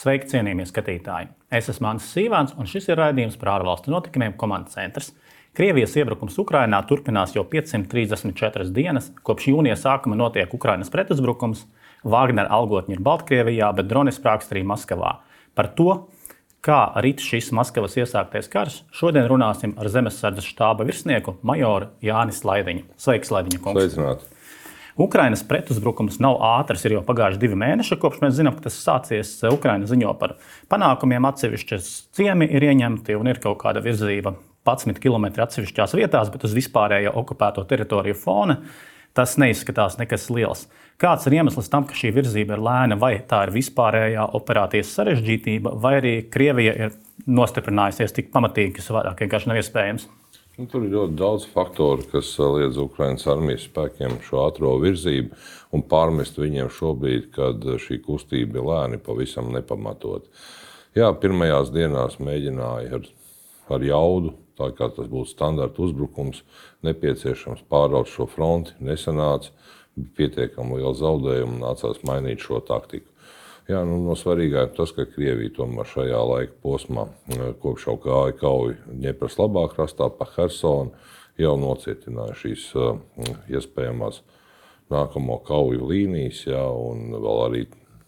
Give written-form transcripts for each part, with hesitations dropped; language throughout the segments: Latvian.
Sveiki, cienījamie skatītāji! Es esmu Mānis Sīvāns, un šis ir raidījums par ārvalstu notikumiem Komandas centrs. Krievijas iebrukums Ukrainā turpinās jau 534 dienas. Kopš jūnija sākuma notiek Ukrainas pretuzbrukums. Vāgnera algotņi ir Baltkrievijā, bet droni sprākst arī Maskavā. Par to, kā rit šis Maskavas iesāktais karš, šodien runāsim ar Zemesardzes štāba virsnieku majoru Jānis Laidiņu. Sveiks, Laidiņa kungs! Sveicināti! Ukrainas pretuzbrukums nav ātrs, ir jau pagājuši 2 mēneši, kopš mēs zinām, ka tas sācies. Ukraina ziņo par panākumiem, atsevišķas ciemi ir ieņemti un ir kaut kāda virzība 11 km atsevišķās vietās, bet uz vispārējo okupēto teritoriju fona tas neizskatās nekas liels. Kāds ir iemesls tam, ka šī virzība ir lēna, vai tā ir vispārējā operācijas sarežģītība, vai arī Krievija ir nostiprinājusies tik pamatīgi, kas vairāk vienkārši nav iespējams? Tur ir ļoti daudz faktoru, kas liedz Ukrainas armijas spēkiem šo ātro virzību un pārmest viņiem šobrīd, kad šī kustība ir lēni, pavisam nepamatot. Jā, pirmajās dienās mēģināja ar jaudu, tā kā tas būtu standarta uzbrukums, nepieciešams pāraut šo fronti, nesanāca, bija pietiekami liela zaudējuma un nācās mainīt šo taktiku. Jā, no svarīgāk tas, ka Krievija tomēr šajā laika posmā, kopš jau gāja kauja Ņepras labā krastā pa Hersonu, jau nocietināja šīs iespējamās nākamo kauju līnijas, jā, un vēl arī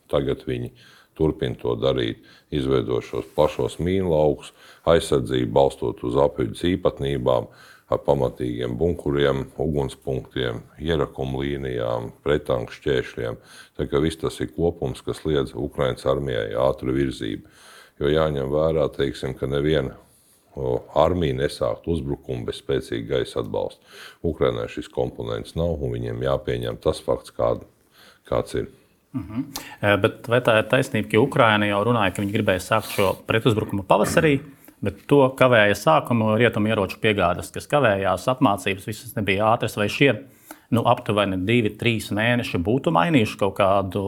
tagad viņi turpina to darīt, izveidot šos plašos mīnlaukus, aizsardzību balstot uz apvidus īpatnībām, ar pamatīgiem bunkuriem, ugunspunktiem, ierakumu līnijām, pretanku šķēršļiem. Tā kā viss tas ir kopums, kas liedz Ukrainas armijai ātru virzību. Jo jāņem vērā, teiksim, ka neviena armija nesākt uzbrukumu bez spēcīga gaisa atbalsta. Ukrainai šis komponents nav, un viņiem jāpieņem tas fakts, kāds ir. Bet vai tā ir taisnība, ka Ukraina jau runāja, ka viņi gribēja sākt šo pretuzbrukumu pavasarī? Bet to kavēja sākumu rietumu ieroču piegādes, kas kavējās, apmācības, visas nebija ātras, vai šie aptuveni 2-3 mēneši būtu mainījuši kaut kādu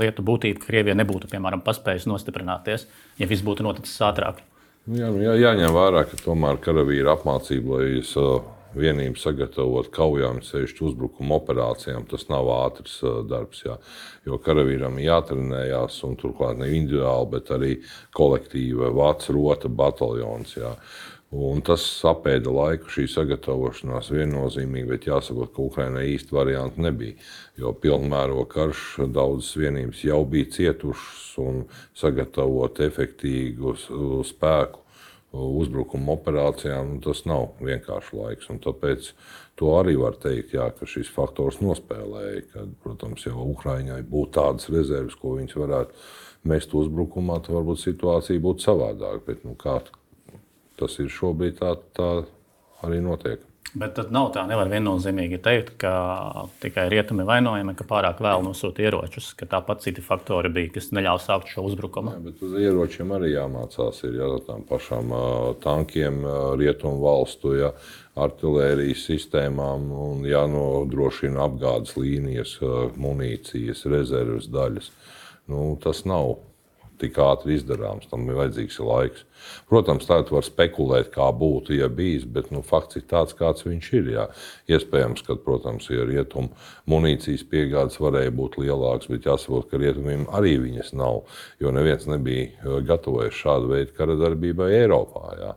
lietu būtību, ka Krievija nebūtu, piemēram, paspējusi nostiprināties, ja viss būtu noticis ātrāk? Jāņem vērā, ka tomēr karavīra apmācība, lai vienību sagatavot kaujām, sevišķi uzbrukuma operācijām, tas nav ātrs darbs, jā. Jo karavīram jātrenējās, un turklāt ne individuāli, bet arī kolektīva vāc rota bataljons, jā. Un tas apēda laiku, šī sagatavošanās viennozīmīgi, bet jāsaprot, ka Ukrainai īsti varianti nebija. Jo pilnmēroga karš daudzas vienības jau bija cietušas un sagatavot efektīgu spēku uzbrukuma operācijām, tas nav vienkārši laiks. Un tāpēc to arī var teikt, jā, ka šis faktors nospēlēja, kad, protams, jau Ukraiņai būtu tādas rezerves, ko viņas varētu mest uzbrukumā, tad varbūt situācija būtu savādāka. Bet kā tas ir šobrīd, tā arī notiek. Bet tad nav tā, nevar viennozīmīgi teikt, ka tikai rietumi vainojami, ka pārāk vēl nosūta ieročus, ka tāpat citi faktori bija, kas neļāva sākt šo uzbrukumu. Jā, bet uz ieročiem arī jāmācās, ir tām pašām tankiem, rietumu valstu, artilērijas sistēmām un jānodrošina apgādes līnijas, munīcijas, rezerves daļas. Tas nav tik ātri izdarāms, tam ir vajadzīgs laiks. Protams, tā var spekulēt, kā būtu, ja bijis, bet fakts ir tāds, kāds viņš ir. Jā. Iespējams, ka, protams, ja rietumu munīcijas piegādes varēja būt lielāks, bet jāsaprot, ka rietumiem arī viņas nav, jo neviens nebija gatavojies šādu veidu kara darbībai Eiropā. Jā.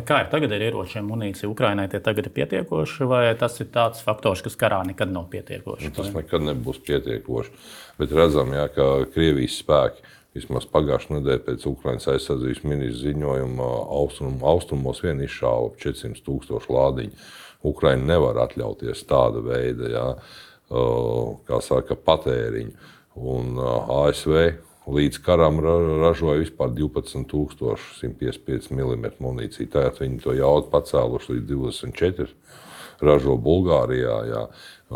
Kā ir tagad ar ieročiem, munīciju Ukrainai, tie tagad ir pietiekoši, vai tas ir tāds faktors, kas karā nekad nav pietiekoši? Tas nekad nebūs pietiekoši, bet redzam, ka Krievijas spēki, vismaz pagājušā nedēļa pēc Ukrainas aizsardzības ministra ziņojuma, austrumos vien izšāva 400,000 lādiņu. Ukraina nevar atļauties tāda veida, patēriņu, un ASV līdz karam ražoja vispār 12,155 mm munīciju. Tagad viņi to jaudu pacēluši līdz 24. Ražo Bulgārijā. Jā.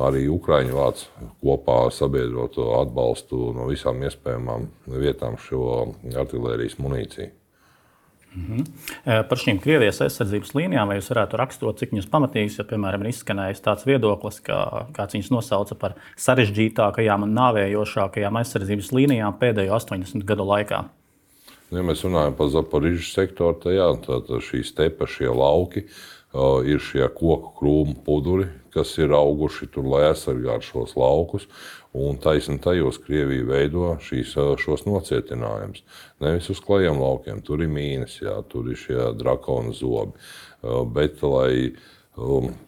Arī Ukraiņu vāc kopā ar sabiedroto atbalstu no visām iespējamām vietām šo artilērijas munīciju. Par šīm Krievijas aizsardzības līnijām, vai jūs varētu raksturot, cik viņas pamatīgas, ja, piemēram, ir izskanējis tāds viedoklis, kāds viņas nosauca par sarežģītākajām un nāvējošākajām aizsardzības līnijām pēdējo 80 gadu laikā? Ja mēs runājam par Zaporižas sektoru, tad šī stepa, šie lauki, ir šie koku krūmu puduri, kas ir auguši tur, lai aizsargātu šos laukus. Un taisni tajos Krievija veido šos nocietinājumus. Nevis uz klajiem laukiem, tur ir mīnas, jā, tur ir šie drakona zobi. Bet, lai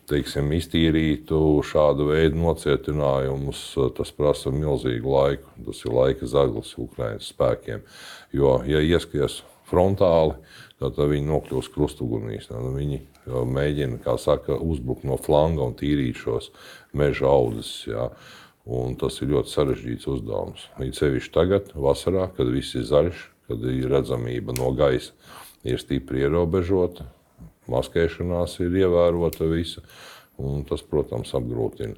teiksim, iztīrītu šādu veidu nocietinājumus, tas prasa milzīgu laiku. Tas ir laika zaglis Ukrainas spēkiem. Jo, ja ieskries frontāli, tad viņi nokļūs krustugunīs. Viņi mēģina, kā saka, uzbrukt no flanga un tīrīt šos meža audzes. Jā. Un tas ir ļoti sarežģīts uzdevums. Līdz sevišķi tagad, vasarā, kad viss ir zaļš, kad ir redzamība no gaisa, ir stipri ierobežota, maskēšanās ir ievērota visa, un tas, protams, apgrūtina.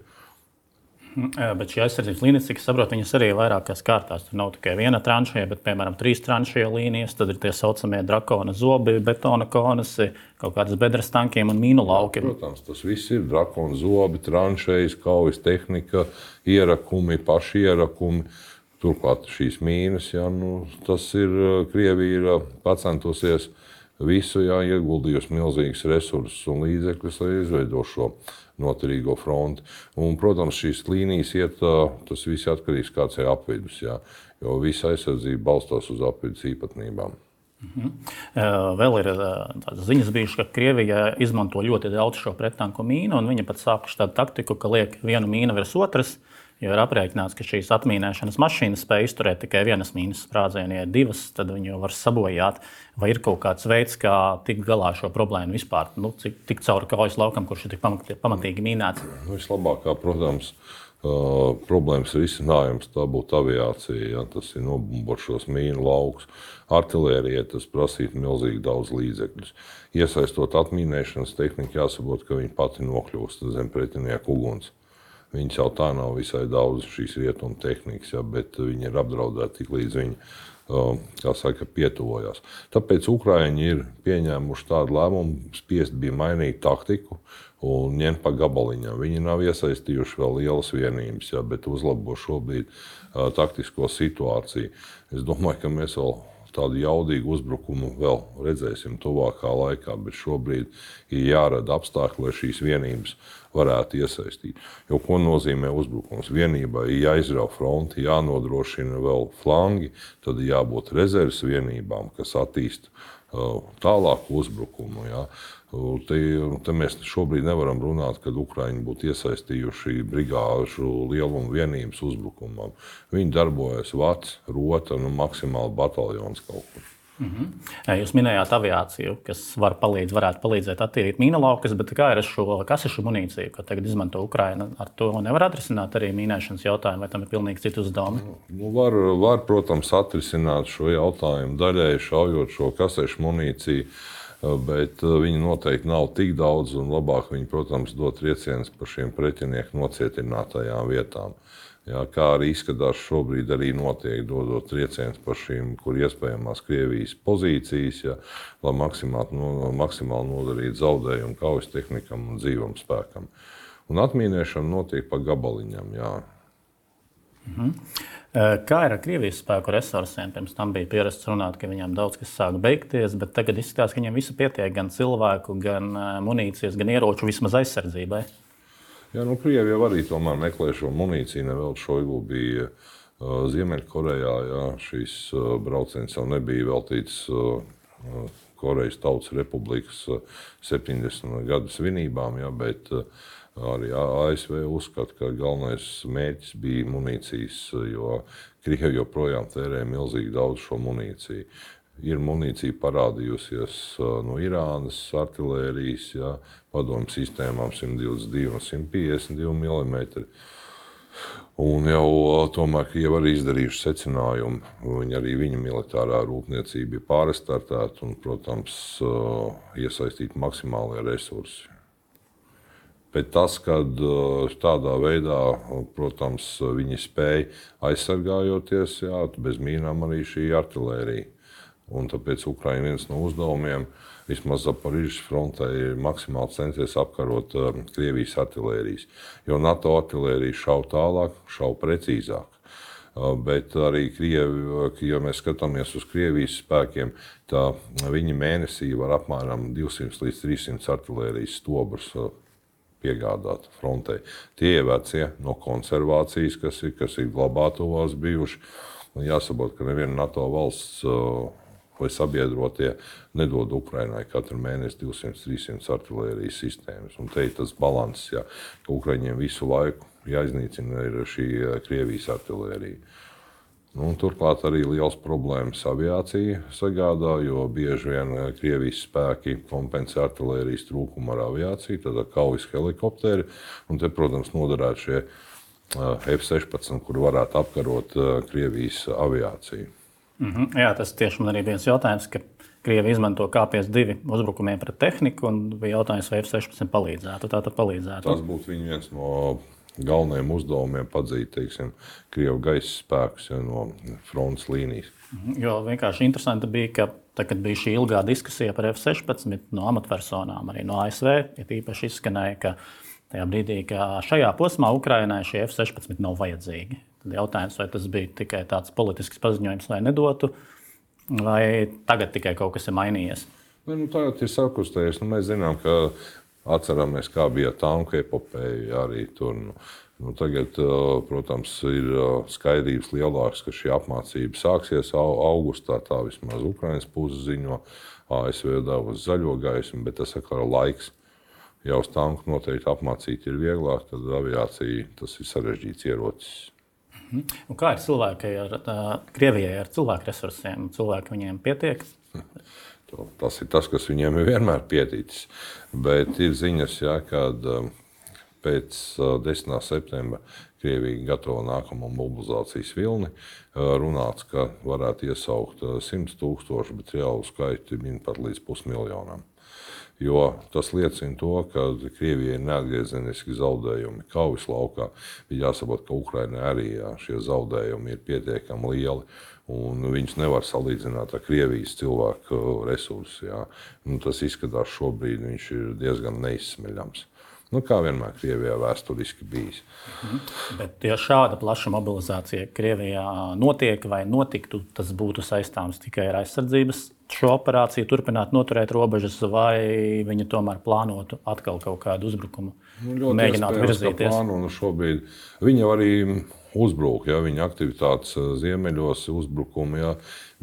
Bet šī aizsardzības līnijas, cik es saprotu, viņas arī ir vairākās kārtās. Tur nav tikai viena tranšēja, bet, piemēram, 3 tranšēja līnijas, tad ir tie saucamie drakona zobi, betona konasi, kaut kādas bedres tankiem un mīnu lauki. Protams, tas viss ir drakona zobi, tranšējas, kaujas tehnika, ierakumi, paši ierakumi. Turklāt šīs mīnas, jā, tas ir, Krievija ir pacentusies visu, jā, ieguldījusi milzīgas resursus un līdzekļus, lai izveido šo noturīgo fronti. Un, protams, šīs līnijas iet, tas viss atkarīgs kāds ir apvidus, jā, jo visa aizsardzība balstās uz apvidus īpatnībām. Vēl ir tādas ziņas bijušas, ka Krievija izmanto ļoti daudz šo prettanku mīnu, un viņa pat sākuši tādu taktiku, ka liek vienu mīnu virs otras, jo ir aprēķināts, ka šīs atmīnēšanas mašīnas spēj izturēt tikai vienas mīnas sprādzienu. Ja ir divas, tad viņi jau var sabojāt. Vai ir kaut kāds veids, kā tikt galā šo problēmu vispār? Tik cauri kaujas laukam, kurš ir tik pamatīgi mīnēts? Vislabākā, protams, problēmas risinājums tā būtu aviācija. Ja? Tas ir nobumbot šos mīnu laukus. Artilērijai tas prasītu milzīgi daudz līdzekļus. Iesaistot atmīnēšanas tehniku, jāsaprot, ka viņi pati nokļūst zem pretinieku uguns. Viņas jau tā nav visai daudz šīs rietumu tehnikas, ja, bet viņi ir apdraudēti tik līdz viņi, kā saka, pietuvojās. Tāpēc Ukraiņi ir pieņēmuši tādu lēmumu, spiest bija mainīt taktiku un ņemt pa gabaliņām. Viņi nav iesaistījuši vēl lielas vienības, ja, bet uzlabo šobrīd taktisko situāciju. Es domāju, ka mēs vēl tādu jaudīgu uzbrukumu vēl redzēsim tuvākā laikā, bet šobrīd ir jārada apstākļi, lai šīs vienības varētu iesaistīt. Jo ko nozīmē uzbrukums? Vienībai ir jāizrauj fronti, jānodrošina vēl flangi, tad jābūt rezerves vienībām, kas attīst tālāku uzbrukumu. Ja. Te mēs šobrīd nevaram runāt, kad Ukraiņi būtu iesaistījuši brigāžu lielumu vienības uzbrukumam. Viņi darbojas vats, rota, maksimāli bataljons kaut kur. Jūs minējāt aviāciju, kas varētu palīdzēt attīrīt mīnu laukus, bet kā ir šo kasešu munīciju, ko tagad izmanto Ukraina? Ar to nevar atrisināt arī mīnēšanas jautājumu, vai tam ir pilnīgi citi uzdevumi? Var, protams, atrisināt šo jautājumu daļēji šaujot šo kasešu munīciju, bet viņi noteikti nav tik daudz un labāk viņi, protams, dot triecienus par šiem pretinieku nocietinātajām vietām. Jā, kā arī izskatās šobrīd arī notiek, dodot triecienus par šīm, kur iespējamās Krievijas pozīcijas, ja, lai maksimāli nodarītu zaudējumu kaujas tehnikam un dzīvam spēkam. Un atmīnēšana notiek pa gabaliņam. Jā. Kā ir ar Krievijas spēku resursiem? Pirms tam bija pierasts runāt, ka viņiem daudz kas sāk beigties, bet tagad izskatās, ka viņiem visu pietiek gan cilvēku, gan munīcijas, gan ieroču vismaz aizsardzībai. Jā, Krievija arī tomēr meklē šo munīciju. Nevēl Šoigu bija Ziemeļkorejā. Jā, šīs brauciens jau nebija veltīts Korejas Tautas Republikas 70 gadu svinībām, jā, bet arī ASV uzskata, ka galvenais mērķis bija munīcijas, jo Krievija joprojām tērē milzīgi daudz šo munīciju. Ir munīcija parādījusies no Irānas artilērijas, ja, padomju sistēmām 122 un 152 mm. Un jau tomēr Krievi arī izdarījuši secinājumu. Arī viņa militārā rūpniecība ir pārstartēta un, protams, iesaistīt maksimālie resursi. Bet tas, kad tādā veidā, protams, viņi spēja aizsargājoties, jā, bez mīnām arī šī artilērija. Un tāpēc Ukraina viens no uzdevumiem, vismaz Zaporižas frontē, ir maksimāli centies apkarot Krievijas artilērijas. Jo NATO artilērija šauj tālāk, šauj precīzāk. Bet arī Krievi, ja mēs skatāmies uz Krievijas spēkiem, tā viņi mēnesī var apmēram 200 līdz 300 artilērijas stobrus piegādāt frontei. Tie ir vecie no konservācijas, kas ir glabātuvās bijuši. Jāsaprot, ka neviena NATO valsts vai sabiedrotie nedod Ukrainai katru mēnesi 200-300 artilērijas sistēmas. Un te ir tas balanss, ja, ka Ukraiņiem visu laiku jāiznīcina ir šī Krievijas artilērija. Turklāt arī liels problēmas aviācija sagādā, jo bieži vien Krievijas spēki kompensē artilērijas trūkumu ar aviāciju, tad kaujas helikopteri. Un te, protams, noderētu šie F-16, kur varētu apkarot Krievijas aviāciju. Jā, tas tieši man arī viens jautājums, ka Krievi izmanto K-52 uzbrukumiem pret tehniku, un bija jautājums, vai F-16 palīdzētu. Tātad palīdzētu. Tas būtu viens no galvenajiem uzdevumiem padzīt, teiksim, Krievu gaisa spēkus no frontes līnijas. Jo vienkārši interesanti bija, ka tad, kad bija šī ilgā diskusija par F-16 no amatpersonām, arī no ASV, īpaši izskanēja, ka tajā brīdī, ka šajā posmā Ukrainai šie F-16 nav vajadzīgi. Tad jautājums, vai tas bija tikai tāds politisks paziņojums, lai nedotu, vai tagad tikai kaut kas ir mainījies? Tagad ir sakustējies. Mēs zinām, ka atceramies, kā bija tanku epopeja arī tur. Tagad, protams, ir skaidrības lielāks, ka šī apmācība sāksies augustā. Tā vismaz Ukrainas puse ziņo, ASV devusi zaļo gaismu, bet tas atkal ir laiks. Ja uz tanku noteikti apmācīt ir vieglāk, tad aviācija tas ir sarežģīts ierocis. Un kā ir cilvēki Krievijai ar cilvēku resursiem? Cilvēki viņiem pietiek? Tas ir tas, kas viņiem ir vienmēr pieticis. Bet ir ziņas, kad pēc 10. septembra Krievija gatavo nākamo mobilizācijas vilni. Runāts, ka varētu iesaukt 100 000, bet reālu skaitu min pat līdz 500 000. Jo tas liecina to, ka Krievijai ir neatgriezeniski zaudējumi kaujas laukā. Ir jāsaprot, ka Ukrainai arī šie zaudējumi ir pietiekami lieli, un viņus nevar salīdzināt ar Krievijas cilvēku resursu. Tas izskatās šobrīd, viņš ir diezgan neizsmeļams. Kā vienmēr Krievijā vēsturiski bijis. Bet ja šāda plaša mobilizācija Krievijā notiek vai notiktu, tas būtu saistāms tikai ar aizsardzības šo operāciju, turpināt noturēt robežas, vai viņi tomēr plānotu atkal kaut kādu uzbrukumu, mēģināt virzīties? Šobrīd viņi arī uzbruk, viņa aktivitātes ziemeļos, uzbrukumi.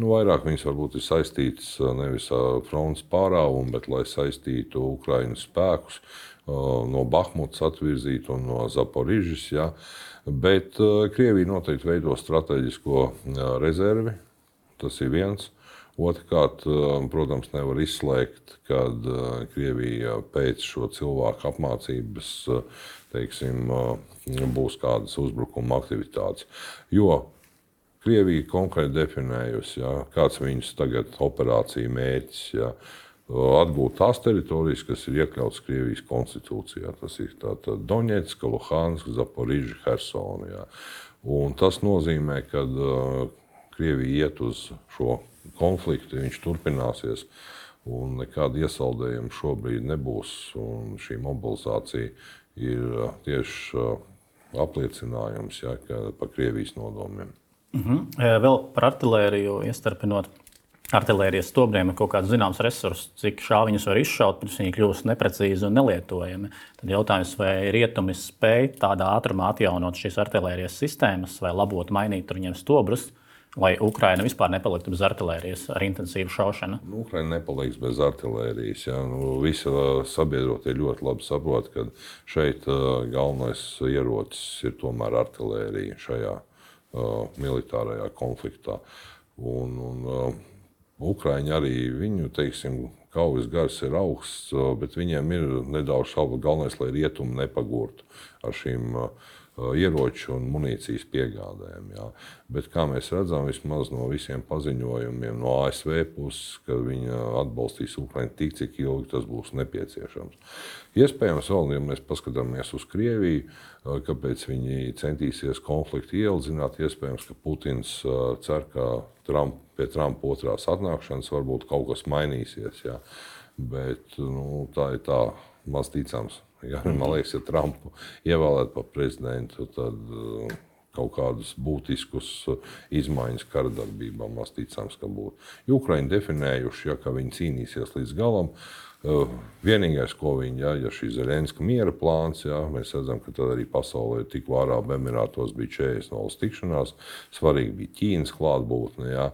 Vairāk viņas varbūt ir saistītas nevis ar frontes pārāvumu, bet lai saistītu Ukrainas spēkus, no Bahmutas atvirzīt un no Zaporižas. Bet Krievija noteikti veido strateģisko rezervi. Tas ir viens. Otrkārt, protams, nevar izslēgt, kad Krievija pēc šo cilvēku apmācības, teiksim, būs kādas uzbrukuma aktivitātes. Jo Krievija konkrēti definējusi, kāds viņas tagad operācija mērķis. Atgūt tās teritorijas, kas ir iekļautas Krievijas konstitūcijā. Tas ir Doņetska, Luhanska, Zaporiža, Hersona. Un tas nozīmē, ka Krievija iet uz šo konfliktu, viņš turpināsies, un nekāda iesaldējuma šobrīd nebūs. Un šī mobilizācija ir tieši apliecinājums par Krievijas nodomiem. Vēl par artilēriju iestarpinot. Artilērijas stobriem ir kaut kāds zināms resurss, cik šāviņus var izšaut, pirms viņi kļūst neprecīzi un nelietojami. Tad jautājums, vai rietumi spēj tādā ātrumā atjaunot šīs artilērijas sistēmas, vai labot mainīt viņiem stobrus, vai Ukraina vispār nepaliktu bez artilērijas ar intensīvu šaušanu? Ukraina nepaliks bez artilērijas. Visi sabiedrotie ļoti labi saprot, ka šeit galvenais ierocis ir tomēr artilērija šajā militārajā konfliktā. Ukraiņi arī viņu, teiksim, kaujas gars ir augsts, bet viņiem ir nedaudz šaubu. Galvenais, lai rietumi nepagurtu ar šīm ieroču un munīcijas piegādēm. Bet, kā mēs redzam, vismaz no visiem paziņojumiem no ASV puses, ka viņi atbalstīs Ukrainu tik, cik ilgi tas būs nepieciešams. Iespējams, vēl, ja mēs paskatāmies uz Krieviju, kāpēc viņi centīsies konfliktu ieildzināt, iespējams, ka Putins cer, ka pie Trumpa otrās atnākšanas varbūt kaut kas mainīsies. Bet tā ir tā maz ticams. Man liekas, ja Trumpu ievēlētu par prezidentu, tad kaut kādus būtiskus izmaiņas kara darbībā, maz ticams, ka būtu. Ukraiņi definējuši, ka viņi cīnīsies līdz galam. Vienīgais, ko viņi, ja šī Zelenska miera plāns, mēs redzam, ka tad arī pasaulē tikko Arābu Emirātos bija 40 tikšanās, svarīgi bija Ķīnas klātbūtne,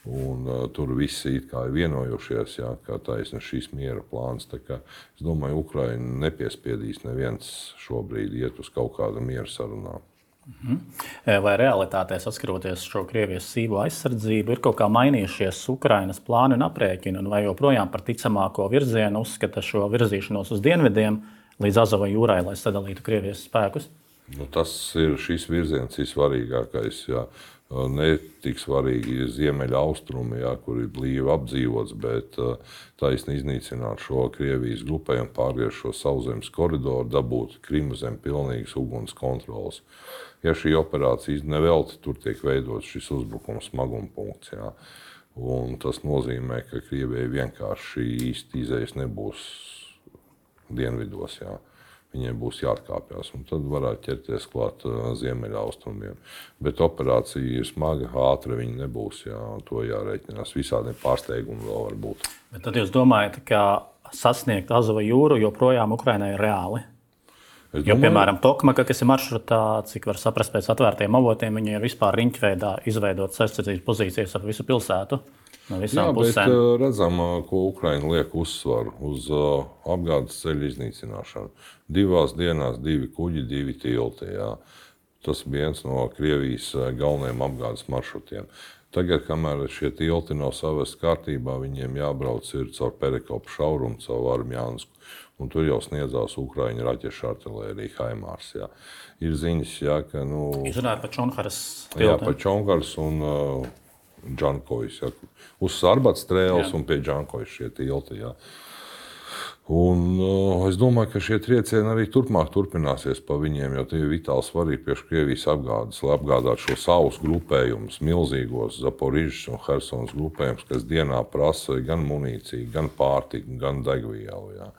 un tur visi it kā ir vienojušies, ka taisna šīs miera plāns. Tā kā es domāju, Ukraina nepiespiedīs neviens šobrīd iet uz kaut kādu miera sarunām. Vai realitātē, saskaroties šo Krievijas sīvo aizsardzību, ir kaut kā mainījušies Ukrainas plāni un aprēķini, un vai joprojām par ticamāko virzienu uzskata šo virzīšanos uz dienvidiem līdz Azova jūrai, lai sadalītu Krievijas spēkus? Tas ir šis virziens ir svarīgākais. Ne tik svarīgi ziemeļa austrumi, kur ir blīvi apdzīvots, bet taisni iznīcināt šo Krievijas grupējumu, pārgriezt šo sauszemes koridoru, dabūt Krimu zem pilnīgas uguns kontrolas. Ja šī operācija nevelti, tur tiek veidots šis uzbrukums smaguma punkts. Un tas nozīmē, ka Krievijai vienkārši īsti izējas nebūs dienvidos. Viņiem būs jāatkāpjas, un tad varētu ķerties klāt ziemeļa austrumiem. Bet operācija ir smaga, ātra viņa nebūs, un to jārēķinās. Visādiem pārsteigumiem vēl var būt. Bet tad jūs domājat, ka sasniegt Azova jūru joprojām Ukrainai ir reāli? Piemēram, Tokmaka, kas ir maršrutā, cik var saprast pēc atvērtiem avotiem, viņi ir vispār riņķveidā izveidot aizsardzības pozīcijas ap visu pilsētu. No visām pusēm. Bet redzam, ko Ukraina liek uzsvaru uz apgādes ceļu iznīcināšanu. 2 dienās 2 kuģi, 2 tilti. Tas bija viens no Krievijas galvenajiem apgādes maršrutiem. Tagad, kamēr šie tilti nav savesti kārtībā, viņiem jābrauc ir caur Perekopu šaurumu, caur Armjānsku. Un tur jau sniedzās Ukraiņu raķešu artilērija Haimārs. Ir ziņas, ka... Jūs runājat par Čonharas tilti? Jā, par Čonharas un Džankojas. Uz Sarbats strēles un pie Džankojas šie tilti. Un es domāju, ka šie triecieni arī turpmāk turpināsies pa viņiem, jo tie ir vitāli svarīgi priekš Krievijas apgādes, lai apgādātu šo savus grupējumus, milzīgos Zaporižas un Hersonas grupējumus, kas dienā prasa gan munīciju, gan pārtiku, gan degvielu.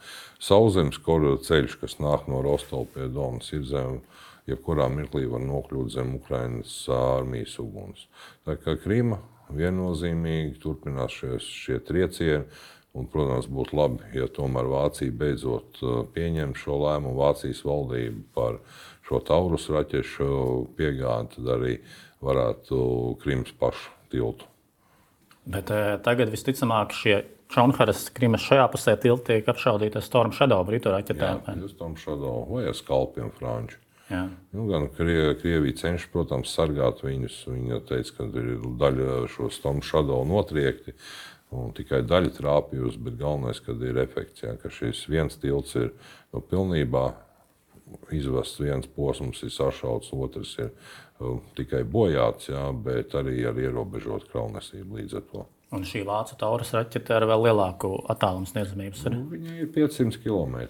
Sauszemes koridoru ceļš, kas nāk no Rostova pie Donas, ir zem, jebkurā mirklī var nokļūt zem Ukrainas armijas uguns. Tā kā Krima viennozīmīgi turpinās šie triecieni. Un, protams, būtu labi, ja tomēr Vācija beidzot pieņem šo lēmumu, Vācijas valdību par šo Taurus raķešu piegādi, tad arī varētu Krimas pašu tiltu. Bet tagad visticamāk šie Čonharas Krimas šajā pusē tilti tiek apšaudīti ar Storm Shadow britu raķetēm. Jā, Storm Shadow vai ar skalpiem franču. Gan Krievija cenšas, protams, sargāt viņus. Viņa teica, ka ir daļa šo Storm Shadow notriekti. Un tikai daļa trāpījusi, bet galvenais, kad ir efekts, ka šis viens tilts ir pilnībā izvests, viens posms ir sašauts, otrs ir tikai bojāts, bet arī ar ierobežotu kravnesību līdz ar to. Un šī vācu Taurus raķete ar vēl lielāku attālumu sniedzamības ir? Viņa ir 500 km.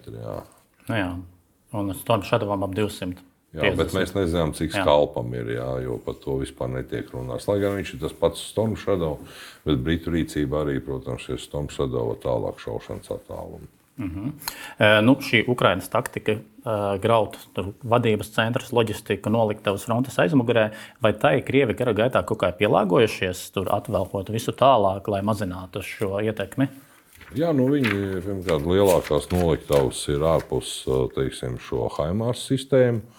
Un Storm Shadowam ap 200. Bet mēs nezinām, cik skalpam ir, jo par to vispār netiek runāts. Lai gan viņš ir tas pats Storm Shadow, bet britu rīcība arī, protams, ir Storm Shadow tālāk šaušanas attālumu. Šī Ukrainas taktika graut vadības centrs, loģistika, noliktavas frontes aizmugurē, vai tai Krievi kara gaitā kaut kā pielāgojušies, tur atvelkot visu tālāk, lai mazinātu šo ietekmi? Viņi, pirmkārt, lielākās noliktavas ir ārpus, šo Haimārs sistēmu.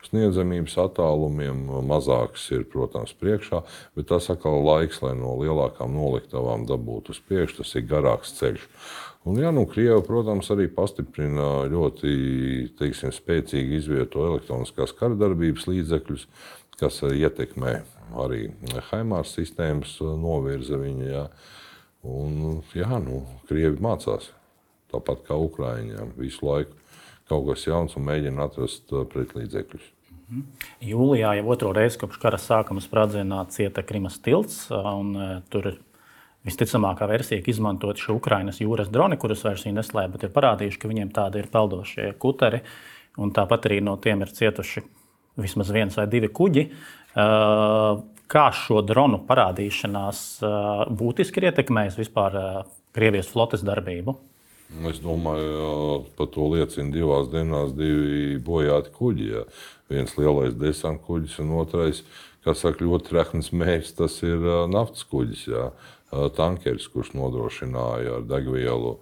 Sniedzamības attālumiem mazāks ir, protams, priekšā, bet tas atkal laiks, lai no lielākām noliktavām dabūtu uz priekšu, tas ir garāks ceļš. Un, Krievi, protams, arī pastiprina ļoti, spēcīgi izvieto elektroniskās karadarbības līdzekļus, kas ietekmē arī Haimārs sistēmas novirza viņa. Un, Krievi mācās, tāpat kā Ukraiņiem, visu laiku kaut kas jauns un mēģina atrast pretlīdzekļus. Jūlijā jau otro reizi kopš kara sākuma sprādzienā cieta Krimas tilts, un tur ir visticamākā versija, ka izmantot šie Ukrainas jūras droni, kurus vairs viņi neslēp, bet ir parādījuši, ka viņiem tādi ir peldošie kuteri, un tāpat arī no tiem ir cietuši vismaz 1 vai 2 kuģi. Kā šo dronu parādīšanās būtiski ir ietekmējis vispār Krievijas flotes darbību? Es domāju, par to liecina 2 dienās 2 bojāti kuģi. Jā. Viens lielais desanta kuģis un otrais, kā saka, ļoti trehns mērķis, tas ir naftas kuģis, jā. Tankeris, kurš nodrošināja ar degvielu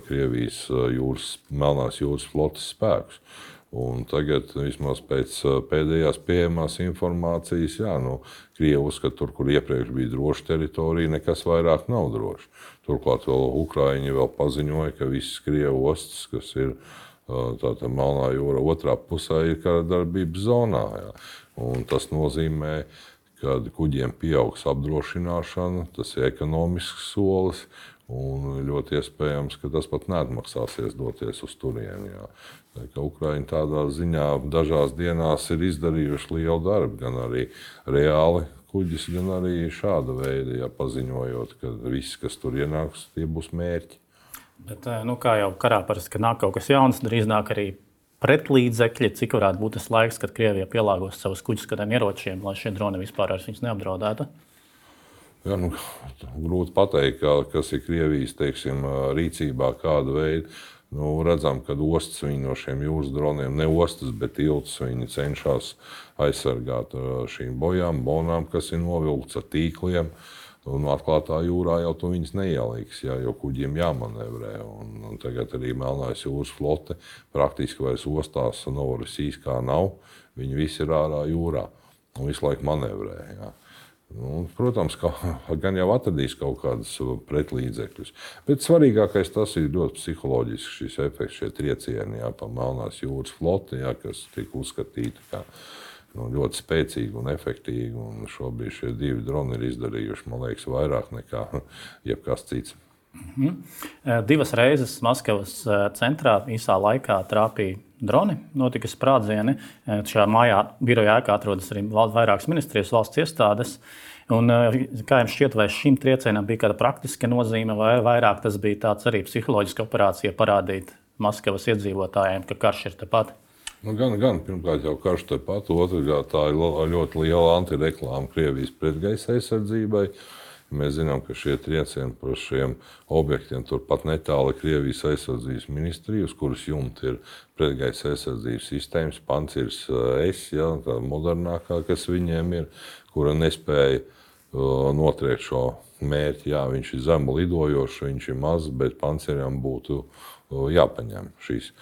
Krievijas Melnās jūras flotes spēkus. Un tagad, vismaz pēc pēdējās pieejamās informācijas, Krievi uzskata, tur, kur iepriekš bija droša teritorija, nekas vairāk nav drošs. Turklāt Ukraiņi vēl paziņoja, ka visas Krievu ostas, kas ir tātad Melnā jūra otrā pusē, ir karadarbības zonā. Jā. Un tas nozīmē, ka kuģiem pieaugs apdrošināšana, tas ir ekonomisks solis. Un ļoti iespējams, ka tas pat neatmaksāsies doties uz turieni. Ukraiņi tādā ziņā dažās dienās ir izdarījuši lielu darbu, gan arī reāli kuģis, gan arī šāda veida, paziņojot, ka viss, kas tur ienāks, tie būs mērķi. Bet, kā jau karā parasti, kad nāk kaut kas jauns, drīz nāk arī pretlīdzekļi. Cik varētu būt tas laiks, kad Krievija pielāgos savus kuģus kādiem ieročiem, lai šie droni vispār viņus neapdraudētu? Jā, grūti pateikt, kas ir Krievijas rīcībā, kāda veida. Redzam, ka ostas viņi no šiem jūras droniem, ne ostas, bet tiltus viņi cenšas aizsargāt šīm bojām, bonām, kas ir novilkts ar tīkliem. Un atklātā jūrā jau to viņas neieliks, jo kuģiem jāmanevrē. Un tagad arī Melnās jūras flote praktiski vairs ostās Novorosijskā nav. Viņi visi ir ārā jūrā un visu laiku manevrē. Jā. Protams, gan jau atradīs kaut kādus pretlīdzekļus. Bet svarīgākais tas ir ļoti psiholoģisks šis efekts, šie triecieni pa Melnās jūras floti, kas tika uzskatīti kā ļoti spēcīgi un efektīvi. Un šobrīd šie 2 droni ir izdarījuši, man liekas, vairāk nekā jebkas cits. 2 reizes Maskavas centrā īsā laikā trāpīja droni, notika sprādzieni. Šajā mājā biroja ēkā atrodas arī vairākas ministrijas, valsts iestādes. Un, kā jums šķiet, vai šim triecienam bija kāda praktiska nozīme, vai vairāk tas bija tāds arī psiholoģiska operācija parādīt Maskavas iedzīvotājiem, ka karš ir tepat? Gan pirmkārt jau karš tepat, otrkārt tā ir ļoti liela antireklāma Krievijas pretgaisa aizsardzībai. Mēs zinām, ka šie triecieni par šiem objektiem turpat netāli Krievijas aizsardzības ministrija, uz kuras jumta ir pretgaisa aizsardzības sistēmas, Pancirs S, tā modernākā, kas viņiem ir, kura nespēja notriekt šo mērķi. Jā, viņš ir zemu lidojošs, viņš ir mazs, bet Panciram būtu jāpaņem šīs.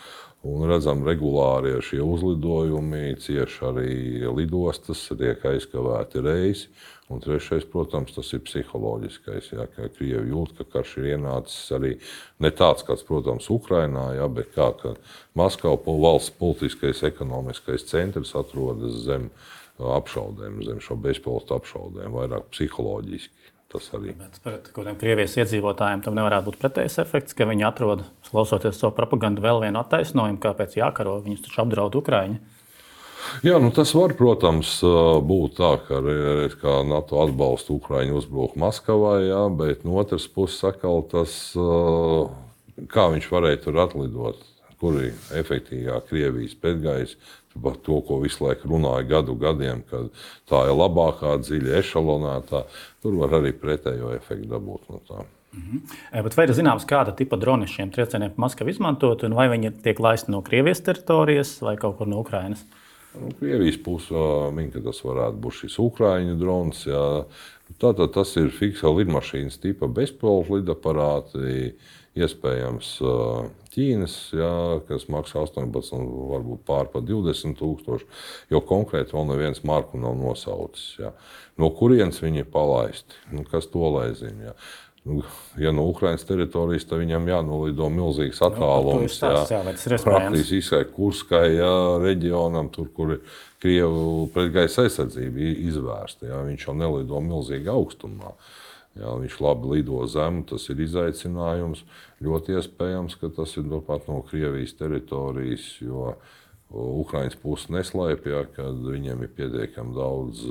Un redzam, regulāri šie uzlidojumi cieši arī lidostas, tiek aizkavēti reisi. Un trešais, protams, tas ir psiholoģiskais, ka Krievi jūt, ka karš ir ienācis arī ne tāds, kāds, protams, Ukrainā, bet kā Maskava valsts politiskais, ekonomiskais centrs atrodas zem apšaudēm, zem šo bezpilota apšaudēm, vairāk psiholoģiski. Tas arī. Bet pret kādiem Krievijas iedzīvotājiem tam nevarētu būt pretējs efekts, ka viņi atrod, klausoties savu propagandu, vēl vienu attaisnojumu, kāpēc jākaro, viņus taču apdraud Ukraiņi. Jā, tas var, protams, būt tā, ka NATO atbalsta Ukraiņu uzbruku Maskavai, bet no otras puses atkal tas, kā viņš varēja tur atlidot, kur ir efektīvāk Krievijas pretgaisa, par to, ko visu laiku runāja gadiem, ka tā ir labākā, dziļa, ešalonētā. Tur var arī pretējo efektu dabūt no tā. Bet vai ir zināms, kāda tipa droni šiem triecieniem Maskava izmantot, un vai viņi tiek laisti no Krievijas teritorijas vai kaut kur no Ukrainas? Krievijas puse min, ka tas varētu būt šis Ukraiņu drons. Jā. Tātad tas ir fiksa lidmašīnas tipa bezpilota lidaparāti, iespējams Ķīnas, kas maksā 18, varbūt pār par 20 000, jo konkrēti vēl neviens marku nav nosaucis. Jā. No kurienes viņi ir palaisti? Kas to lai zina? Jā. Ja no Ukrainas teritorijas, tad viņam jānolido milzīgs attālums. Praktiski izskai Kurskai reģionam, tur, kur ir Krievu pretgaisa aizsardzība izvērsta. Jā. Viņš jau nelido milzīgi augstumā. Jā, viņš labi lido zemu, tas ir izaicinājums. Ļoti iespējams, ka tas ir pat no Krievijas teritorijas, jo Ukrainas puse neslēpj, ka viņiem ir pietiekami daudz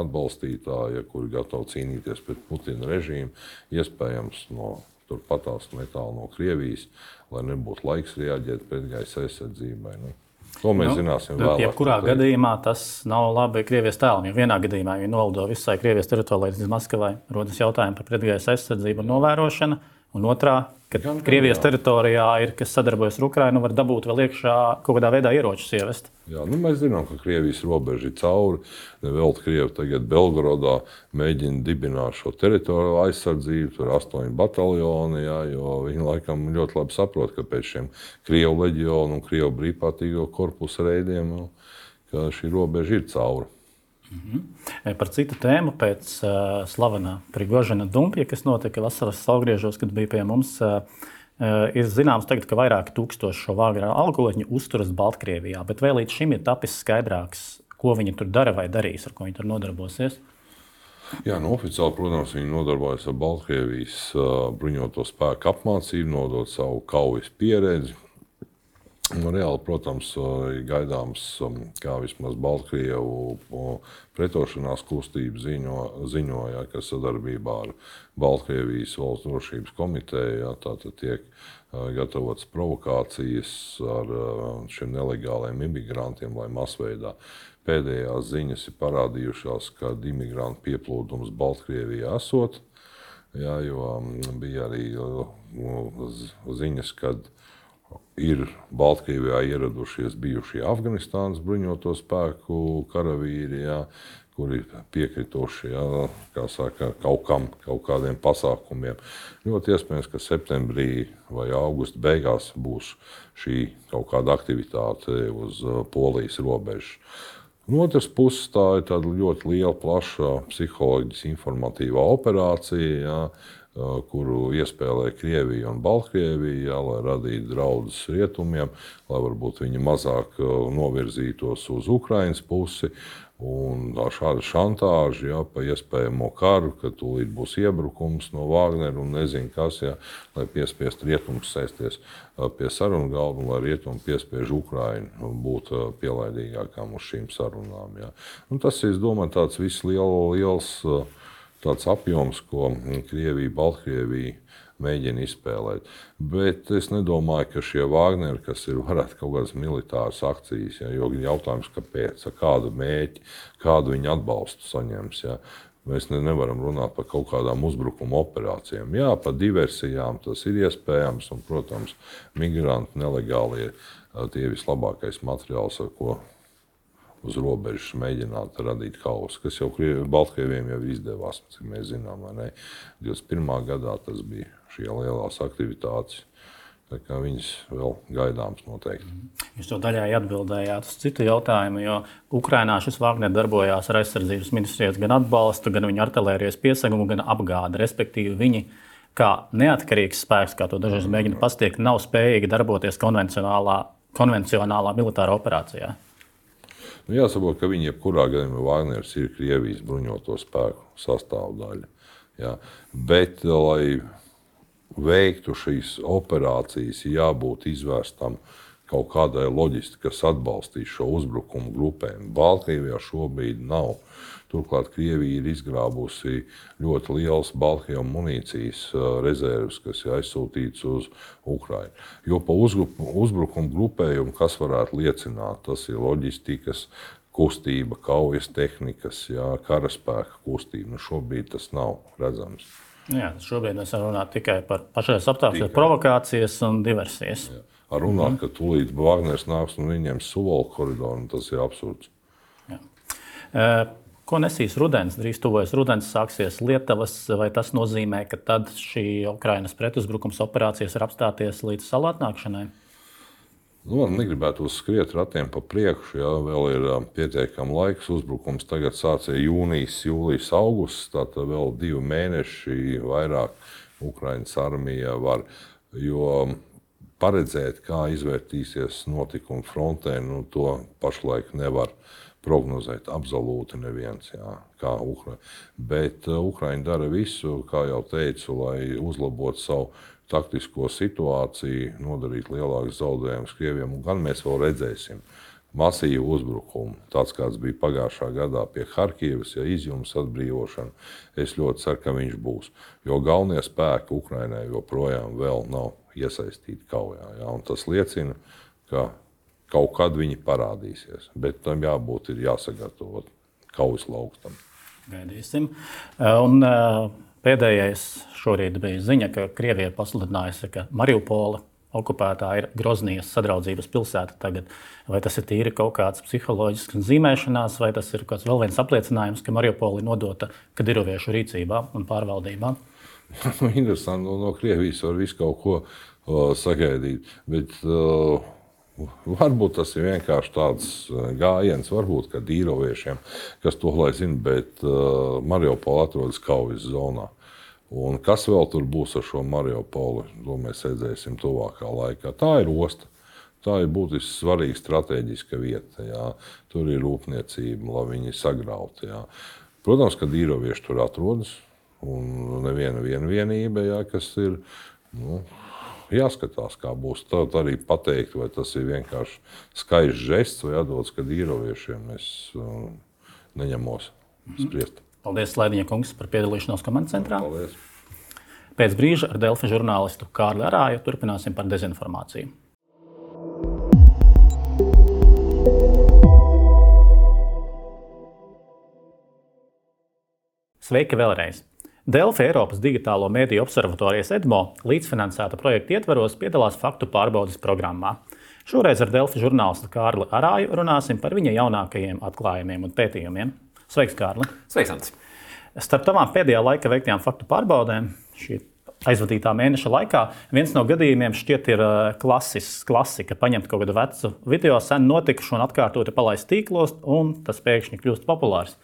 atbalstītāju, kuri gatavi cīnīties pret Putina režīmu. Iespējams, turpatās netālu no Krievijas, lai nebūtu laiks reaģēt pretgaisa aizsardzībai. To mēs zināsim vēlāk. Jebkurā gadījumā tas nav labi Krievijas tēlam, jo vienā gadījumā viņi nolido visai Krievijas teritorijai līdz Maskavai, rodas jautājumi par pretgaisa aizsardzību un novērošanu, un otrā ka Krievijas teritorijā ir, kas sadarbojas ar Ukrainu, var dabūt vēl iekšā kaut kādā veidā ieročus ievest. Jā, mēs zinām, ka Krievijas robeža ir cauri. Vēl Krievi tagad Belgorodā mēģina dibināt šo teritoriju aizsardzību, tur 8 bataljoni, jā, jo viņi laikam ļoti labi saprot, ka pēc šiem Krievu leģionu un Krievu brīvprātīgo korpusu reidiem, ka šī robeža ir cauri. Par citu tēmu, pēc slavenā Prigožina dumpja, kas notika vasaras saulgriežos, kad bija pie mums, ir zināms tagad, ka vairāki tūkstoši šo Vāgnera algoļņu uzturas Baltkrievijā, bet vēl līdz šim ir tapis skaidrāks, ko viņi tur dara vai darīs, ar ko viņi tur nodarbosies. Jā, oficiāli, protams, viņi nodarbojas ar Baltkrievijas bruņoto spēku apmācību, nodot savu kaujas pieredzi. Reāli, protams, ir gaidāms, kā vismaz Baltkrievu pretošanās kustība ziņoja, ka sadarbībā ar Baltkrievijas valsts drošības komiteju tātad tiek gatavotas provokācijas ar šiem nelegāliem imigrantiem, lai masveidā. Pēdējās ziņas ir parādījušās, ka imigrantu pieplūdums Baltkrievijā esot, jā, jo bija arī ziņas, kad ir Baltkrievijā ieradušies bijušie Afganistānas bruņoto spēku karavīri, jā, kuri piekrituši, jā, kā saka, kaut kādiem pasākumiem. Ļoti iespējams, ka septembrī vai augusta beigās būs šī kaut kāda aktivitāte uz Polijas robežas. No otras puses, tā ir tāda ļoti liela, plaša psiholoģiski informatīvā operācija, jā, kuru iespēlē Krievija un Baltkrievija, lai radītu draudus rietumiem, lai varbūt viņi mazāk novirzītos uz Ukrainas pusi. Un šāda šantāža, jā, pa iespējamo karu, ka tūlīt būs iebrukums no Vāgnera un nezinu kas, jā, lai piespiest rietumus sēsties pie sarunu galda un lai rietumi piespiež Ukrainu būt pielaidīgākām uz šīm sarunām. Jā. Un tas, es domāju, tāds viss liels tāds apjoms, ko Krievija, Baltkrievija mēģina izspēlēt. Bet es nedomāju, ka šie Vāgneri, kas ir varētu kaut kādas militāras akcijas, ja, jo jautājums, kāpēc, kādu mērķi, kādu viņi atbalstu saņems. Ja. Mēs nevaram runāt par kaut kādām uzbrukuma operācijām. Jā, par diversijām tas ir iespējams, un, protams, migranti nelegālie tie vislabākais materiāls, ar ko uz robežas mēģināt radīt hausu, kas jau Baltkrieviem jau izdevās, cik mēs zinām, vai ne. 21. gadā tas bija šie lielās aktivitātes, tā kā viņas vēl gaidāms noteikti. Jūs to daļai atbildējāt uz citu jautājumu, jo Ukrainā šis Vāgner darbojās ar aizsardzības ministrijas gan atbalstu, gan viņu artilērijas piesegumu, gan apgādi, respektīvi viņi kā neatkarīgs spēks, kā to dažreiz mēģina pastiekt, nav spējīgi darboties konvencionālā militāra operācijā. Jāsaprot, ka viņi jebkurā gadījumā Vāgners ir Krievijas bruņoto spēku sastāvdaļa. Jā. Bet, lai veiktu šīs operācijas, jābūt izvērstam kaut kādai loģistikai, kas atbalstīs šo uzbrukumu grupēm. Baltkrievijā šobrīd nav. Turklāt Krievija ir izgrābusi ļoti liels Baltkrievu munīcijas rezerves, kas ir aizsūtīts uz Ukrainu. Jo pa uzbrukumu grupējumu, kas varētu liecināt, tas ir loģistikas kustība, kaujas tehnikas, jā, karaspēka kustība. Nu, šobrīd tas nav redzams. Jā, šobrīd mēs varam runāt tikai par pašreiz apstākļiem, provokācijas un diversijas. Jā. Ar runāt, ka tūlīt Vāgners nāks un viņiem Suvalku koridoru, tas ir absurds. Jā. Ko nesīs rudens? Drīz tuvojas rudens, sāksies Lietuvas, vai tas nozīmē, ka tad šī Ukrainas pretuzbrukums operācijas var apstāties līdz salu atnākšanai? Nu, man negribētu skriet ratiem pa priekšu, jā, vēl ir pietiekami laiks. Uzbrukums tagad sācies jūnijas, jūlijas, augusts, tātad vēl 2 mēneši vairāk Ukrainas armija var, jo paredzēt, kā izvērtīsies notikumi frontē, nu, to pašlaik nevar prognozēt absolūti neviens, jā, kā Ukraina. Bet Ukraina dara visu, kā jau teicu, lai uzlabotu savu taktisko situāciju, nodarīt lielākus zaudējumus Krieviem. Un gan mēs vēl redzēsim masīvu uzbrukumu, tāds kāds bija pagājušā gadā pie Harkivas, ja izjums atbrīvošana. Es ļoti ceru, ka viņš būs. Jo galvenie spēki Ukrainai joprojām vēl nav iesaistīti kaujā. Ja? Un tas liecina, ka kaut kad viņi parādīsies, bet tam jābūt ir jāsagatavot kaujas lauktam. Gaidīsim. Un pēdējais šorīt bija ziņa, ka Krievija pasludinājusi, ka Mariupola okupētā ir Groznijas sadraudzības pilsēta tagad. Vai tas ir tīri kaut kāds psiholoģisks zīmēšanās, vai tas ir kāds vēl viens apliecinājums, ka Mariupola ir nodota kadīroviešu rīcībā un pārvaldībā? Interesanti, no Krievijas var visu kaut ko sagaidīt, bet varbūt tas ir vienkārši tāds gājiens, varbūt, ka dīroviešiem, kas to lai zina, bet Mariupola atrodas kaujas zonā. Un kas vēl tur būs ar šo Mariupoli, to mēs redzēsim tuvākā laikā. Tā ir osta. Tā ir būtiski svarīga strateģiska vieta. Jā. Tur ir rūpniecība, lai viņi sagrautu. Jā. Protams, ka dīrovieši tur atrodas. Un neviena vienība, jā, kas ir jāskatās, kā būs. Tad arī pateikt, vai tas ir vienkārši skaists žests vai atdots, ka dīroviešiem es neņemos spriest. Paldies, Slaidiņa kungs, par piedalīšanos komandas centrā. Paldies. Pēc brīža ar Delfi žurnālistu Kārli Arāju turpināsim par dezinformāciju. Sveiki vēlreiz! Delfi Eiropas digitālo mediju observatorijas EDMO līdzfinansēta projekta ietvaros piedalās faktu pārbaudes programmā. Šoreiz ar Delfi žurnālistu Kārli Arāju runāsim par viņa jaunākajiem atklājumiem un pētījumiem. Sveiks, Kārli! Sveiks, Ants! Starp tavām pēdējā laika veiktajām faktu pārbaudēm, šī aizvadītā mēneša laikā, viens no gadījumiem šķiet ir klasika, paņemt kaut kādu vecu video, sen notikušu un atkārtoti palaist tīklos, un tas pēkšņi kļūst populārs.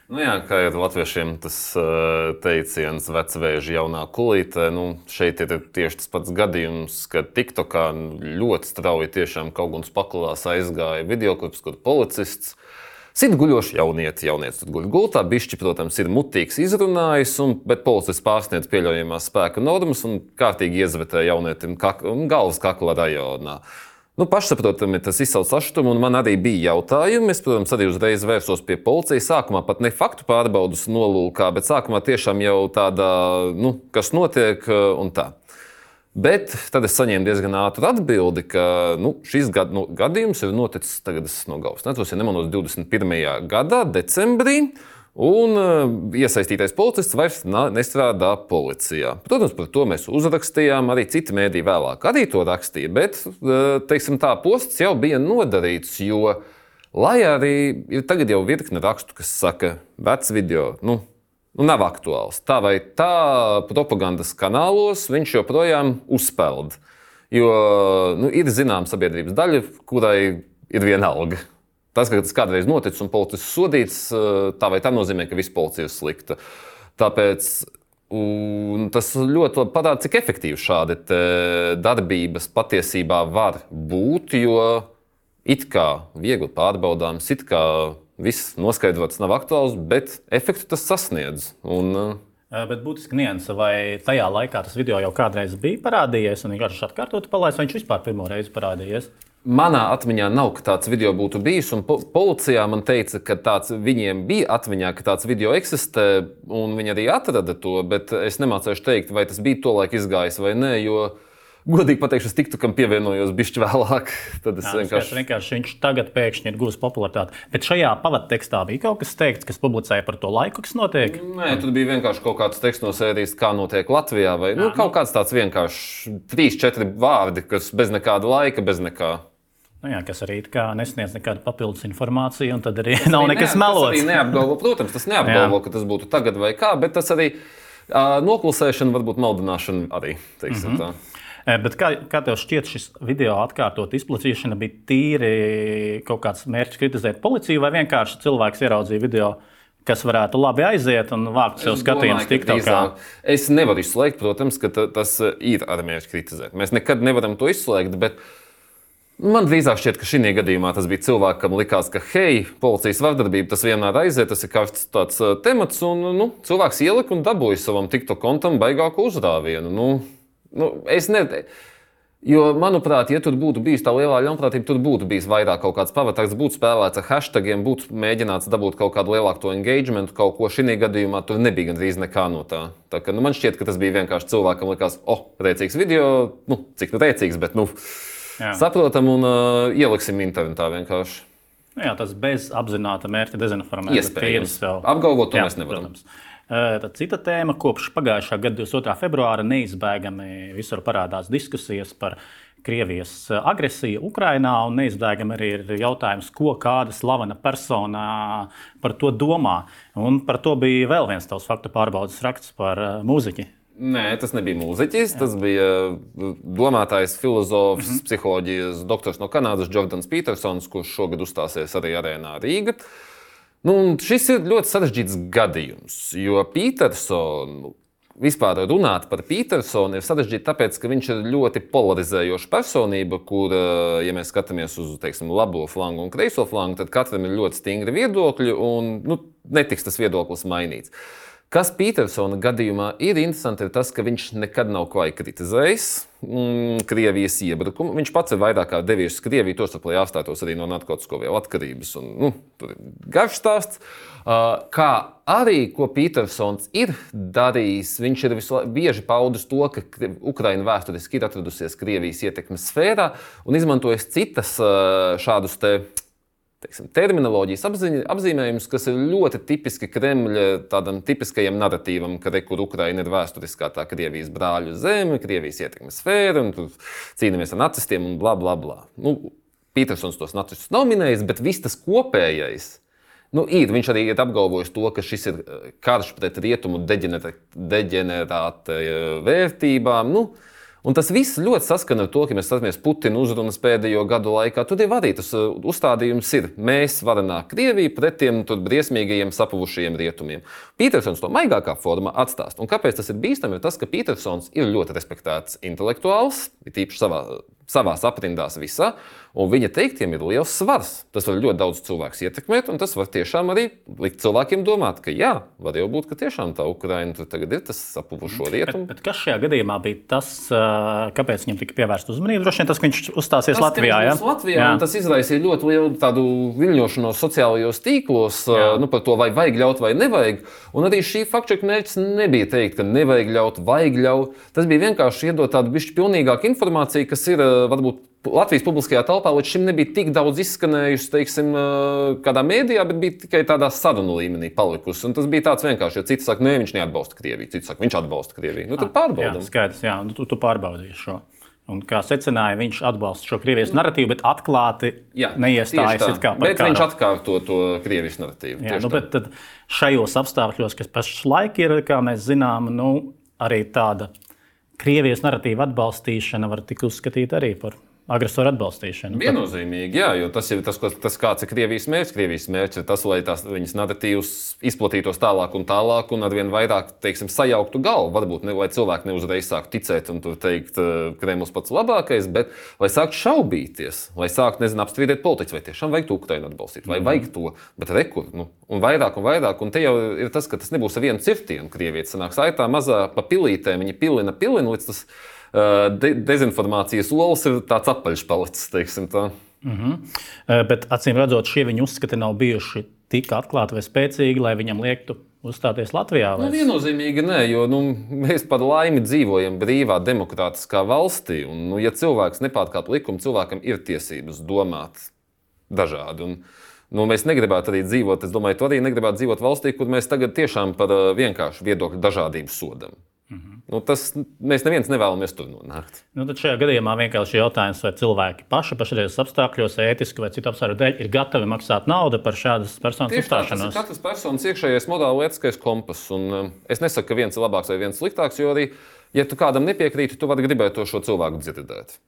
Nu jā, kā ir latviešiem tas teiciens vecvēži jaunā kulīte, šeit ir tieši tas pats gadījums, ka TikTokā ļoti strauji tiešām kaut kāds paklās aizgāja videoklips, kur policists sit guļoši jaunieci tur guļ gultā, bišķi, protams, ir mutīgs izrunājis, bet policists pārsniedz pieļaujamās spēka normas un kārtīgi iezvetē jaunietim galvas kakla rajonā. Pašsaprotami tas izsauc sašutumu, un man arī bija jautājumi. Es, protams, arī uzreiz vērsos pie policijas. Sākumā pat ne faktu pārbaudas nolūkā, bet sākumā tiešām jau tāda, kas notiek un tā. Bet tad es saņēmu diezgan ātru atbildi, ka šis gadījums ir noticis, tagad es no galvas netos, ja nemaldos 21. gadā, decembrī, un iesaistītais policists vairs nestrādā policijā. Protams, par to mēs uzrakstījām, arī citi mēdī vēlāk arī to rakstīja, bet, teiksim tā, posts jau bija nodarīts, jo, lai arī ir tagad jau virkne rakstu, kas saka, vecs video, nav aktuāls. Tā vai tā propagandas kanālos viņš joprojām uzpeld. Jo ir zināma sabiedrības daļa, kurai ir vienalga. Tas, ka tas kādreiz noticis un policists sodīts, tā vai tā nozīmē, ka visa policija ir slikta. Tāpēc tas ļoti labi parāda, cik efektīvi šādi darbības patiesībā var būt, jo it kā viegli pārbaudāms, it kā viss noskaidrots nav aktuāls, bet efektu tas sasniedz. Bet būtiski nianse, vai tajā laikā tas video jau kādreiz bija parādījies un vienkārši atkārtoti palaists, vai viņš vispār pirmo reizi parādījies? Manā atmiņā nav, ka tāds video būtu bijis, un policijā man teica, ka viņiem bija atmiņā, ka tāds video eksistē, un viņi arī atrada to, bet es nemācēšu teikt, vai tas bija tolaik izgājis vai nē, jo godīgi pateikšu, es TikTokam pievienojos bišķi vēlāk. Tad es vienkārši viņš tagad pēkšņi ir guvis popularitāti. Bet šajā pavadtekstā bija kaut kas teikts, kas publicēja par to laiku, kas notiek? Nē, tur bija vienkārši kaut kāds teksts no sērijas, kā notiek Latvijā, vai kaut kāds tāds vienkārši 3-4 vārdi, kas bez nekāda laika, bez nekā. Kas arī nesniedz nekādu papildus informāciju, un tad arī nav nekas melots. Tas arī neapgalvo, protams, tas neapgalvo, ka tas būtu tagad vai kā, bet tas arī noklusēšana, varbūt maldināšana arī, teiksim tā. Bet kā tev šķiet, šis video atkārtot izplatīšana bija tīri kaut kāds mērķis kritizēt policiju, vai vienkārši cilvēks ieraudzīja video, kas varētu labi aiziet un vākt sev skatījumus TikTokā? Es nevaru izslēgt, protams, ka tas ir ar mērķi kritizēt. Mēs nekad nevaram to izslēgt, bet man drīzāk šķiet, ka šī gadījumā tas bija cilvēkam likās, ka policijas vardarbība tas vienmēr aiziet, tas ir karsts tāds temats, un cilvēks ielika un dabūja savam TikTok kontam baigāku uzrāvienu. Jo, manuprāt, ja tur būtu bijis tā lielā ļaunprātība, tur būtu bijis vairāk kaut kāds pavatāks, būtu spēlēts ar hashtagiem, būtu mēģināts dabūt kaut kādu lielāku to engagementu, kaut ko šī gadījumā tur nebija gandrīz nekā no tā. Tā kā, man šķiet, ka tas bija vienkārši cilvēkam likās, rēcīgs video, cik rēcīgs, bet, saprotam un ieliksim internetā vienkārši. Tas bez apzināta mērķa dezinformēt. Iespējams. Apgalvot to mēs nevaram. Protams. Tad cita tēma, kopš pagājušā gada 22. februāra neizbēgami visur parādās diskusijas par Krievijas agresiju Ukrainā, un neizbēgami arī ir jautājums, ko kāda slavena persona par to domā. Un par to bija vēl viens tavs faktu pārbaudes raksts par mūziķi. Nē, tas nebija mūziķis, tas bija domātājs, filozofs, psiholoģijas doktors no Kanādas, Jordans Petersons, kurš šogad uzstāsies arī arēnā Rīga. Šis ir ļoti sarežģīts gadījums, jo Petersonu, vispār runāt par Petersonu ir sarežģīti tāpēc, ka viņš ir ļoti polarizējoša personība, kur, ja mēs skatāmies uz, teiksim, labo flangu un kreiso flangu, tad katram ir ļoti stingri viedokļi un netiks tas viedoklis mainīts. Kas Petersona gadījumā ir interesanti, ir tas, ka viņš nekad nav klāji kritizējis Krievijas iebrukumu. Viņš pats ir vairāk kā devies uz Krieviju, tostarp, lai apstātos arī no narkotisko vielu atkarības. Tur ir garš stāsts. Kā arī, ko Petersons ir darījis, viņš ir bieži paudis to, ka Ukraina vēsturiski ir atradusies Krievijas ietekmes sfērā un izmantojis citas šādus terminoloģijas apzīmējumus, kas ir ļoti tipiski Kremļa tādam tipiskajam naratīvam, ka kur Ukraina ir vēsturiskā tā Krievijas brāļu zeme, Krievijas ietekmes sfēra, un tur cīnāmies ar nacistiem un bla, bla, bla. Petersons tos nacistus nav minējis, bet viss tas kopējais ir. Viņš arī ir apgalvojis to, ka šis ir karš pret rietumu deģenerāta vērtībām. Un tas viss ļoti saskana ar to, ka mēs skatāmies Putina uzrunas pēdējo gadu laikā. Tur jau arī tas uzstādījums ir mēs varenā Krievija pret tiem briesmīgajiem sapuvušajiem rietumiem. Petersons to maigākā formā atstāst. Un kāpēc tas ir bīstami? Ir tas, ka Petersons ir ļoti respektēts intelektuāls, ir tīpaši savās aprindās visā, un viņa teiktiem ir liels svars. Tas var ļoti daudz cilvēku ietekmēt, un tas var tiešām arī likt cilvēkiem domāt, ka jā, var jau būt, ka tiešām tā Ukraina tur tagad ir tas sapuvušo rietumu. Bet kas šajā gadījumā bija tas, kāpēc viņam tika pievērsta uzmanība? Droši vien tas, ka viņš uzstāsies Latvijā. Latvijā tas izraisīja ļoti lielu tādu viļņošanos sociālajos tīklos par to, vai vajag ļaut vai nevajag. Un arī šī faktčeka mērķis nebija teikt, ka nevajag ļaut, vajag ļaut. Tas bija vienkārši iedot tādu bišķi pilnīgāku informāciju, kas ir varbūt Latvijas publiskajā telpā līdz šim nebija tik daudz izskanējusi, teiksim, kādā mēdījā, bet bija tikai tādā sarunu līmenī palikusi. Un tas bija tāds vienkārši, jo citi saka, nē, viņš neatbalsta Krieviju, citi saka, viņš atbalsta Krieviju. Tad pārbaudam. Jā, skaidrs, jā, tu pārbaudīji šo. Un kā secināja, viņš atbalsta šo Krievijas naratīvu, bet atklāti neiestājas it kā par bet karu. Viņš atkārto to Krievijas naratīvu. Jā, bet tad šajos apstākļos, kas pašlaik ir, kā mēs zinām, arī tāda Krievijas naratīva atbalstīšana var tik uzskatīt arī par agresoru atbalstīšanu. Viennozīmīgi, jā, jo tas ir tas, kāds ir Krievijas mērķis. Krievijas mērķis ir tas, lai viņas naratīvs izplatītos tālāk un arvien vairāk, teiksim, sajauktu galvu. Varbūt, lai cilvēki neuzreiz sāktu ticēt un teikt, Kremlis pats labākais, bet lai sāktu šaubīties, lai sāktu, apstrīdēt politiķus, vai tiešām vajag to Ukrainu atbalstīt, vai vajag to, bet rekur, un vairāk, un te jau ir tas, ka tas nebūs ar vienu cirtienu Krievija. Sanāks tā mazā pa pilītēm, viņi pilina, līdz tas dezinformācijas olas ir tāds apaļš palicis, teiksim tā. Bet acīm redzot, šie viņa uzskati nav bijuši tik atklāti vai spēcīgi, lai viņam liektu uzstāties Latvijā? Viennozīmīgi nē, jo mēs par laimi dzīvojam brīvā, demokrātiskā valstī. Un, ja cilvēks nepārkāp likumu, cilvēkam ir tiesības domāt dažādi. Un, mēs negribētu arī dzīvot, es domāju, tu arī negribētu dzīvot valstī, kur mēs tagad tiešām par vienkāršu viedokļu dažādību sodam. Mēs neviens nevēlamies tur nonākt. Tad šajā gadījumā vienkārši jautājums, vai cilvēki pašreizes apstākļos, ētiski vai citu apstākļu dēļ, ir gatavi maksāt naudu par šādas personas uzstāšanos. Tas ir katras personas iekšējais morāli ētiskais kompass. Un es nesaku, ka viens ir labāks vai viens sliktāks, jo arī, ja tu kādam nepiekrīti, tu vari gribēt to šo cilvēku dzirdēt.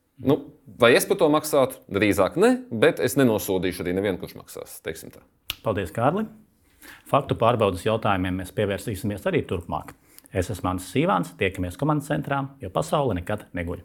Vai es par to maksātu? Drīzāk ne, bet es nenosodīšu arī nevienu, kurš maksās. Teiksim tā. Paldies, Kārli. Faktu pārbaudas jautājumiem mēs pievērsīsimies arī turpmāk. Es esmu Mans Sīvāns, tiekamies komandas centrā, jo pasaule nekad neguļ.